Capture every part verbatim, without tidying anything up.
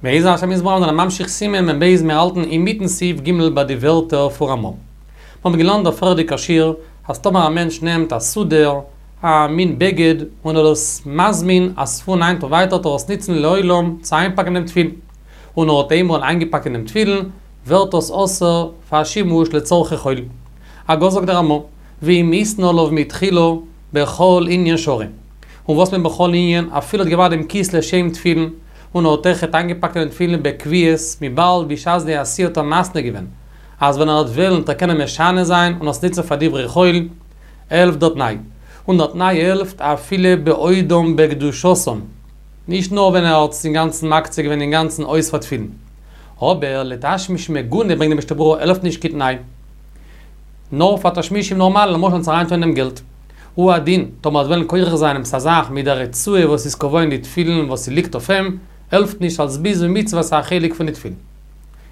בעזר השם יתברך זענען ממשיך סימן מ"ב מיר האלטן אינמיטן סעיף ג' ביי די ווערטער פון רמ"א. מיר האבן געלערנט דער פריערדיגער שיעור אז טאמער א מענטש נעמט א סודר, א מין בגד, און ער איז מזמין אז פון היינט און ווייטער טאר ער עס ניצן לעולם צו איינפאקן דעם תפילין, און ער האט איינמאל איינגעפאקט אין דעם תפילין, ווערט עס אסור פאר שימוש לצורכי חול. הגה זאגט דער רמ"א, ואם התנה עליו מתחילה בכל ענין שרי. און וואס מיינט בכל ענין? אפילו האט געמאכט דעם כיס לשם תפילין, און האט אויכעט איינגעפאקט אין דעם תפילין בקביעות, וויבאלד בשעת די עשייה האט ער מתנה געווען, אז ווען ער וועט וועלן וועט ער קענען משנה זיין און עס ניצן פאר דברי חול, העלפט דער תנאי. און דער תנאי העלפט אפילו בעודם בקדושתם. נישט נאר ווען ער האט עס אינגאנצן מקצה געווען אינגאנצן אויס פאר תפילין. אבער לתשמיש מגונה ברענגט די משנה ברורה העלפט נישט קיין תנאי. נאר פאר תשמישים נארמאל, למשל צו אריינטון אין דעם געלט. הוא הדין, טאמער ער וועט וועלן כורך זיין עפעס א זאך מיט דער רצועה וואס איז קבוע אין די תפילין וואס ס'ליגט אויף אים, העלפט נישט אלס ביזוי מצוה וואס איז א חלק פון די תפילין.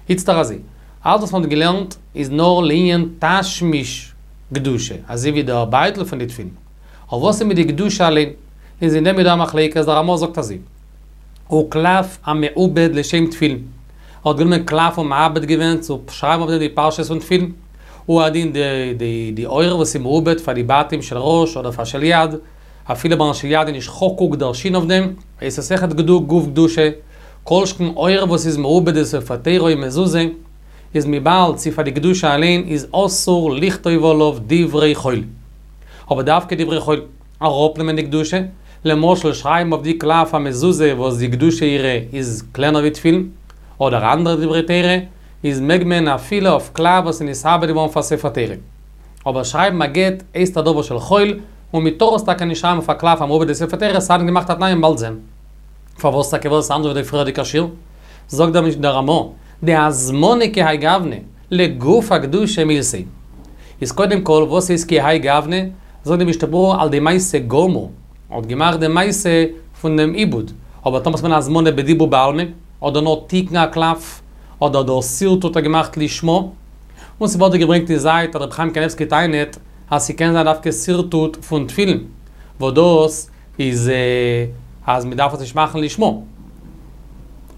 איצטער אזוי, אלץ וואס מ'האט געלערנט איז נאר לעניין תשמיש קדושה, אזוי ווי דער בייטל פון די תפילין. אבער וואס איז מיט די קדושה אליין? איז אין דעם איז דא א מחלוקת, דער רמ"א זאגט אזוי, וקלף המעובד לשם תפילין, ער האט גענומען קלף און מעבד געווען צו שרייבן אויף דעם די פרשיות פון תפילין, הוא הדין די די די עור וואס איז מעובד פאר די בתים של ראש אדער פאר של יד, אפילו ביים של יד איז נישט חקוק דער שין אויף דעם, איז עס אויכעט גוף קדושה, כל שכן עור וואס איז מעובד לספר תורה און מזוזה, איז וויבאלד ס'איז פאר די קדושה אליין איז אסור לכתוב עליו דברי חול. אבער דווקא דברי חול, אראפנעמען די קדושה, למשל שרייבן אויף די קלף א מזוזה וואס די קדושה אירע איז קלענער ווי תפילין, אדער אנדערע דברי תורה, איז מעג מען אפילו אויף קלף וואס איז נתעבד געווארן פאר ספר תורה. אבער שרייבן א גט הייסט א דבר של חול, און מען טאר עס טאקע נישט שרייבן אויף א קלף המעובד לספר תורה, סיידן געמאכט א תנאי מ'וועט באלד זען. פארוואס טאקע וואס איז אנדערש ווי די פריערדיגע שיעור? זאגט דער דער רמ"א, דהזמנה כהאי גוונא, לגוף הקדושה מילתא היא. איז קודם כל וואס איז כהאי גוונא? זאגט די משנה ברורה על ידי מעשה גמור, האט געמאכט די מעשה פון דעם עיבוד, אבער טאמער ס'געווען הזמנה בדיבור בעלמא, אדער נאר תיקון הקלף, אדער דער שרטוט האט ער געמאכט לשמה, און ס'ווערט דא געברענגט אין זייט אז רבי חיים קניבסקי טענה'ט אז ס'קען זיין דווקא שרטוט פון תפילין, וואס דאס איז אז מ'דארף עס נישט מאכן לשמה.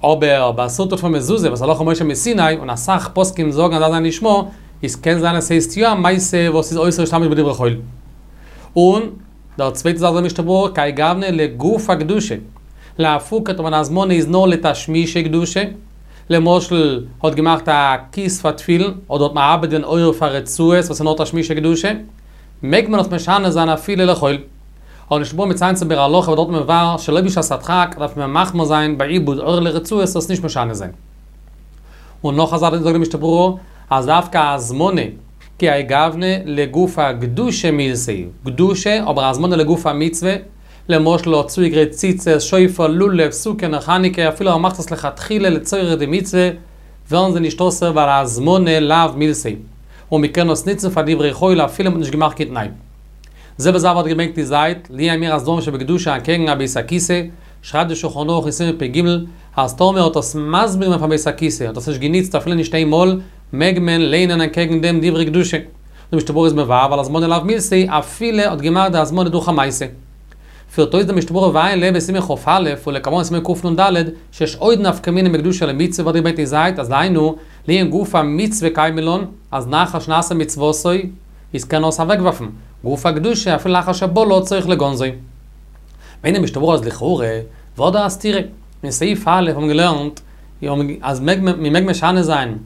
אבער ביי שרטוט פון מזוזה וואס הלכה למשה מסיני, און אסאך פוסקים זאגן אז דארף זיין לשמה, איז קען זיין אז ס'הייסט יא א מעשה וואס איז אסור להשתמש בדברי חול. און דער צווייטע זאך זאגט די משנה ברורה כהאי גוונא לגוף הקדושה. לאפוקי טאמער די הזמנה איז נאר לתשמישי קדושה, למשל האט געמאכט א כיס פאר תפילין, אדער האט מעבד געווען עור פאר רצועות וואס איז נאר תשמישי קדושה, מעג מען עס משנה זיין אפילו לחול. אבער משנה ברורה מציין צו ביאור הלכה וואס דארט מבאר שלא בשעת הדחק דארף מען מחמיר זיין ביי עיבוד עור לרצועות עס נישט משנה זיין. און נאך א זאך זאגט די משנה ברורה אז דווקא הזמנה כהאי גוונא לגוף הקדושה מילתא היא, קדושה אבער הזמנה לגוף המצוה, למשל האט צוגעגרייט ציצית, שופר, לולב, סוכה, נר חנוכה, אפילו ער מאכט עס לכתחילה לצורך די מצוה, ווערן זיי נישט אסור ווייל הזמנה לאו מילתא היא, און מ'קען עס ניצן פאר דברי חול אפילו מ'האט נישט געמאכט קיין תנאי. זעלבע זאך ווערט געברענגט אין זייט, לענין אמירת דברים שבקדושה אנטקעגן א בית הכיסא, שרייבט די שולחן ערוך אין סימן פ"ג, אז טאמער האט עס מזמין געווען פאר בית הכיסא, האט עס נישט געניצט אפילו נישט איין מאל, מעג מען ליינען אנטקעגן דעם דברי קדושה. די משנה ברורה איז מבאר ווייל הזמנה לאו מילתא היא אפילו האט געמאכט די הזמנה דורך א מעשה. פירט אויס די משנה ברורה ועיין לעיל בסימן כ"א ולקמן בסימן קנ"ד שיש עוד נפקא מינה בקדושה למצוה ווערט געברענגט אין זייט אז דהיינו לענין גוף המצוה קיימא לן אז לאחר שנעשה מצוותו איז קען ער עס אוועקווארפן גוף הקדושה אפילו לאחר שבלעו צריך לגונזו. ברענגט די משנה ברורה אז לכאורה ווערט דא א סתירה. אין סעיף א' האבן מיר געלערנט אז מ'מעג משנה זיין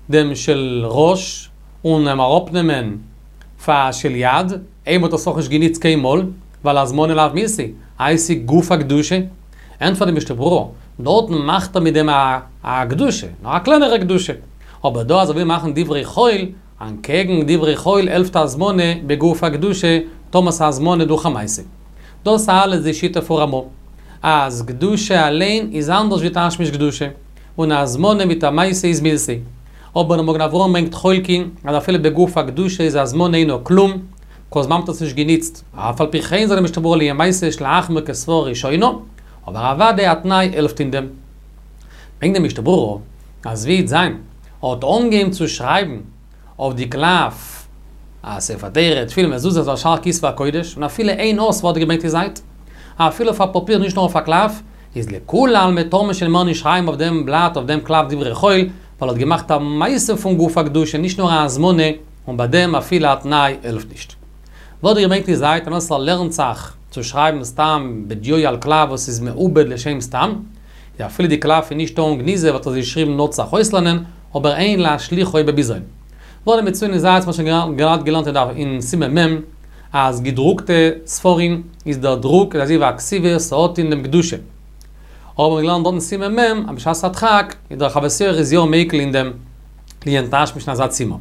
דעם של ראש און אים אראפנעמען פאר של יד, אויב מ'האט עס נאך נישט געניצט קיינמאל, ווייל הזמנה לאו מילתא היא, איי ס'איז גוף הקדושה? ענטפערט די משנה ברורה, דארטן מאכט ער מיט דעם א קדושה, נאר א קלענערע קדושה. אבער דא אז ער וויל מאכן דברי חול, אנטקעגן דברי חול העלפט הזמנה בגוף הקדושה, טאמער ס'איז הזמנה דורך א מעשה. דאס אלעס די שיטה פון רמא, אז קדושה אליין איז אנדערש ווי תשמיש קדושה, און הזמנה מיט א מעשה איז מילתא היא. אבער דער מגן אברהם ברענגט חולקין אז אפילו בגוף הקדושה איז הזמנה אינו כלום, כל זמן מ'האט עס נישט געניצט, אף על פי כן זאגט די משנה ברורה לענין מעשה יש להחמיר כסברא ראשונה, אבער אוודאי א תנאי העלפט אין דעם. ברענגט די משנה ברורה אז ווי וועט זיין האט אנגעהויבן צו שרייבן אויף די קלף א ספר תורה, תפילין, מזוזות ושאר כתבי הקודש, און אפילו איין אות ווערט געברענגט אין זייט. אפילו אויף א פאפיר נישט נאר אויף א קלף, איז לכולי עלמא טאר מען שוין מער נישט שרייבן אויף דעם בלאט, אויף דעם קלף דברי חול, ווייל ער האט געמאכט א מעשה פון גוף הקדושה, נישט נאר א הזמנה, און ביי דעם אפילו א תנאי העלפט נישט. ווערט געברענגט אין זייט אז ער לערנט זיך צו שרייבן סתם בדיו על קלף וואס איז מעובד לשם סתם, יא אפילו די קלף איז נישט טעון גניזה וואלט ער עס געשריבן נאר צו זיך אויסלערנען, אבער אין להשליכו בביזיון. ווערט מצוין אין זייט וואס שוין געהאט געלערנט אין דף אין סימן מ' אז געדרוקטע ספרים איז דער דרוק איז אזוי ווי א כתיבה ס'האט אין דעם קדושה. האבן מיר געלערנט דארט אין סימן מ' אז בשעת הדחק איז דער חוות יאיר איז יא מיקל אין דעם לענין תשמיש אין אזא צימער.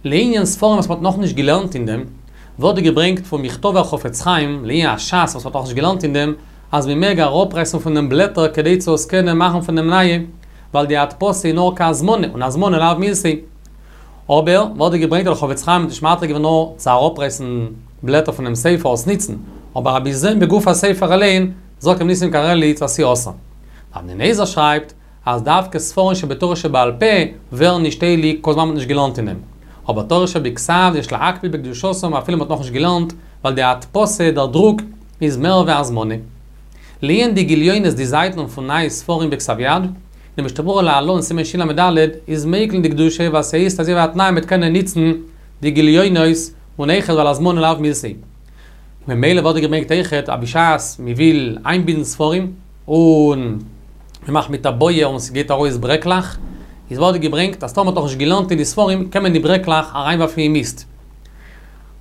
לענין ספרים וואס מ'האט נאכנישט געלערנט אין דעם, ווערט געברענגט פון מכתבי החפץ חיים לענין הש"ס וואס מ'האט נאכנישט געלערנט אין דעם, אז מ'מעג אראפרייסן פון דעם בלעטער כדי צו עס קענען מאכן פון דעם נייע, ווייל די הדפסה איז נאר כהזמנה, און הזמנה לאו מילתא. אבער, ווערט געברענגט אז דער חפץ חיים האט נישט מתיר געווען נאר צו אראפרייסן בלעטער פונעם ספר עס ניצן, אבער א בזיון בגוף הספר אליין, זאגט ר' ניסים קרליץ אז ס'איז אסור. אבני נזר שרייבט אז דווקא ספרים שבתורה שבעל פה ווערן נישט הייליג כל זמן מ'האט נישט געלערנט אין דעם. אבער תורה שבכתב יש להקפיד בקדושתם אפילו מ'האט נאכנישט געלערנט, ווייל די הדפסה, דער דרוק, איז מער ווי הזמנה. לענין די גליונות די זייטן פון נייע ספרים בכתב יד, די משנה ברורה להלן סימן של"ד איז מיקל אין די קדושה ווייל ס'הייסט אזוי ווי א תנאי מ'וועט קענען ניצן די גליונות און אויכעט ווייל הזמנה לאו מילתא. ממילא ווערט געברענגט אויכעט אז בשעת מ'וויל איינבינדן ספרים און מ'מאכט מיט א בויער און ס'גייט ארויס ברעקלעך, איז ווערט געברענגט אז טאמער מ'האט נאכנישט געלערנט אין די ספרים קען מען די ברעקלעך אריינווארפן אין מיסט.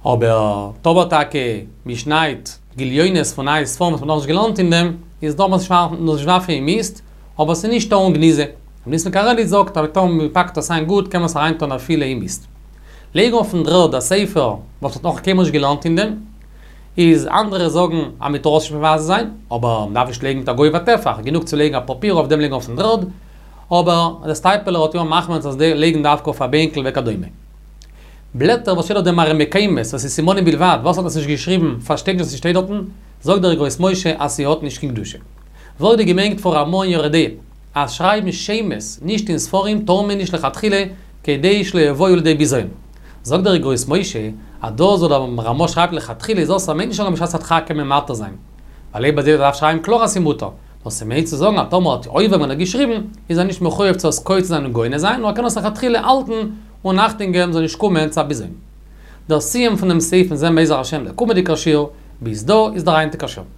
אבער טאמער טאקע מ'שניידט גליונות פון נייע ספרים וואס מ'האט נאכנישט געלערנט אין דעם, איז דארף מען עס נישט ווארפן אין מיסט, אבער ס'איז נישט טעון גניזה. רבי ניסן קרליץ זאגט אז טאמער מ'פאקט עס איין גוט קען מען עס אריינטון אפילו אין מיסט. לייגן אויפן דר'ערד א ספר וואס מ'האט נאך קיינמאל נישט געלערנט אין דעם, איז אנדערע זאגן אז מ'טאר עס נישט מבזה זיין, אבער מ'דארף נישט לייגן מיט א גובה טפח, גענוג צו לייגן א פאפיר אויף דעם לייגן אויפן דר'ערד, אבער דער סטייפלער האט יא מחמיר צו לייגן דווקא אויף א בענקל וכדומה. בלעטער וואס שטייט אויף דעם מראה מקומות, וואס איז סימנים בלבד, וואס האט עס נישט געשריבן, פארשטייט נישט וואס ס'שטייט דארטן, זאגט דער אגרות משה אז ס'האט נישט קיין קדושה. ווערט געברענגט פון רמ"א אין יורה דעה, אז שרייבן שמות נישט אין ספרים טאר מען נישט לכתחילה כדי שלא יבואו לידי בזיון. זאגט דער אגרות משה, אז דאס וואס דער רמ"א שרייבט לכתחילה איז אסור מיינט נישט אז בשעת הדחק קען מען מתיר זיין. ווייל אויב אזוי דארף שרייבן קלאר אז ס'מותר. נאר ס'מיינט צו זאגן אז טאמער האט עובר געווען און געשריבן, איז ער נישט מחויב צו עס קוצץ זיין און גונז זיין, נאר ער קען עס לכתחילה האלטן און אכטונג געבן ס'זאל נישט קומען צו א בזיון. דער סיום פון דעם סעיף וועלן זען בעזר השם דער קומענדיגער שיעור, ביז דא איז דער היינטיגער שיעור.